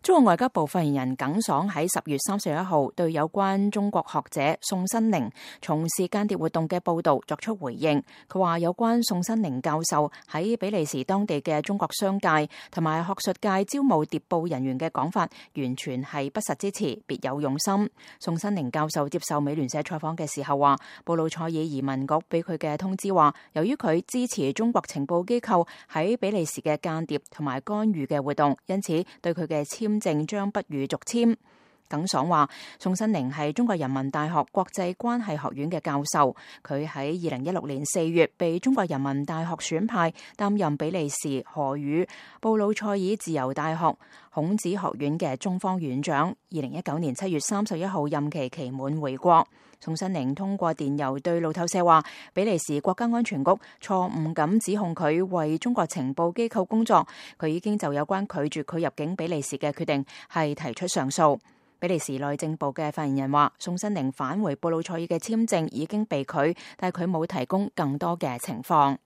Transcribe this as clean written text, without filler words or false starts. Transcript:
中國外交部發言人耿爽喺10月31號對有關中國學者宋新寧從事間諜活動嘅報導作出回應。佢話有關宋新寧教授喺比利時當地嘅中國商界同埋學術界招募諜報人員嘅講法，完全係不實之詞，別有用心。宋新寧教授接受美聯社採訪嘅時候話，布魯塞爾移民局俾佢嘅通知話，由於佢支持中國情報機構喺比利時嘅間諜同埋干預嘅活動，因此對佢嘅簽證將不予續簽。耿爽話，宋新寧係中國人民大學國際關係學院嘅教授，佢喺2016年4月被中國人民大學選派擔任比利時荷語布魯塞爾自由大學孔子學院嘅中方院長。2019年7月31號任期期滿回國。宋新寧通過電郵對路透社話，比利時國家安全局錯誤咁指控佢為中國情報機構工作，佢已經就有關拒絕佢入境比利時嘅決定係提出上訴。比利時內政部嘅發言人話，宋新寧返回布魯塞爾嘅簽證已經被拒，但佢冇提供更多嘅情況。